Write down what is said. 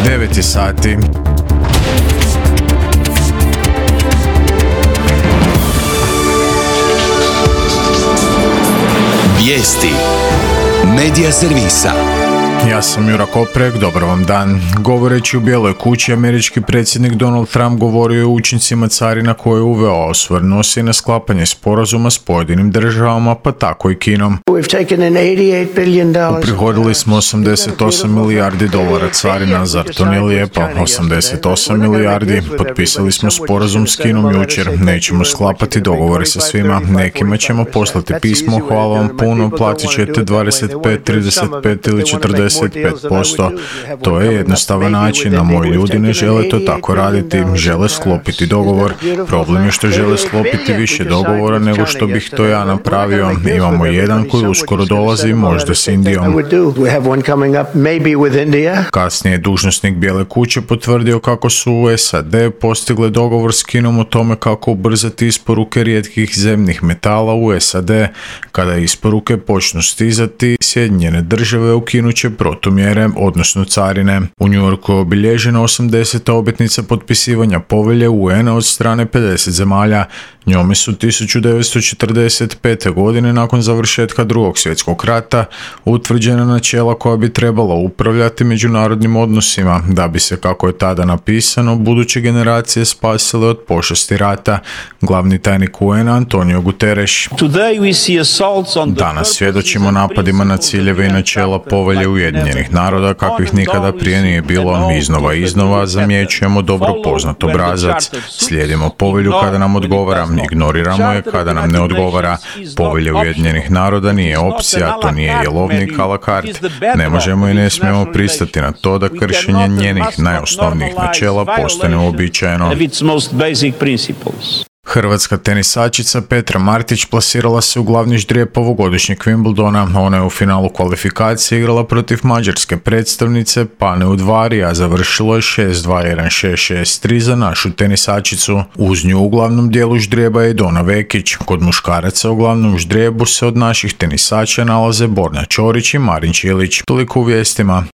9 sati. Vijesti Medija servisa. Ja sam Jura Koprek, dobar vam dan. Govoreći u Bijeloj kući, američki predsjednik Donald Trump govorio je o učincima carina koje je uveo, osvrnuo se i na sklapanje sporazuma s pojedinim državama, pa tako i Kinom. Uprihodili smo $88 milijardi carina, zar to nije lijepo? 88 milijardi. Potpisali smo sporazum s Kinom jučer, nećemo sklapati dogovore sa svima, nekima ćemo poslati pismo, hvala vam puno, platit ćete 25, 35 ili 40%. To je jednostavan način, a moji ljudi ne žele to tako raditi, žele sklopiti dogovor. Problem je što žele sklopiti više dogovora nego što bih to ja napravio. Imamo jedan koji uskoro dolazi, možda s Indijom. Kasnije je dužnosnik Bijele kuće potvrdio kako su u SAD postigle dogovor s Kinom o tome kako ubrzati isporuke rijetkih zemnih metala u SAD. Kada isporuke počnu stizati, Sjedinjene države ukinut će protumjere, odnosno carine. U New Yorku je obilježena 80. obljetnica potpisivanja povelje UN-a od strane 50 zemalja. Njome su 1945. godine nakon završetka Drugog svjetskog rata utvrđena načela koja bi trebala upravljati međunarodnim odnosima, da bi se, kako je tada napisano, buduće generacije spasile od pošasti rata. Glavni tajnik UN-a Antonio Guterres. Danas svjedočimo napadima na ciljeve i načela povelje Ujedinjenih naroda kakvih nikada prije nije bilo. Iznova zamjećujemo dobro poznat obrazac. Slijedimo povelju kada nam odgovara, ignoriramo je kada nam ne odgovara. Povelja Ujedinjenih naroda nije opcija, to nije jelovnik a la carte. Ne možemo i ne smijemo pristati na to da kršenje njenih najosnovnijih načela postane uobičajeno. Hrvatska tenisačica Petra Martić plasirala se u glavni ždrijeb ovogodišnjeg Wimbledona. Ona je u finalu kvalifikacije igrala protiv mađarske predstavnice Pane Udvari, a završilo je 6-2, 1-6, 6-3 za našu tenisačicu. Uz nju u glavnom dijelu ždrijeba je Dona Vekić. Kod muškaraca u glavnom ždrijebu se od naših tenisača nalaze Borna Ćorić i Marin Čilić. Toliko u vijestima.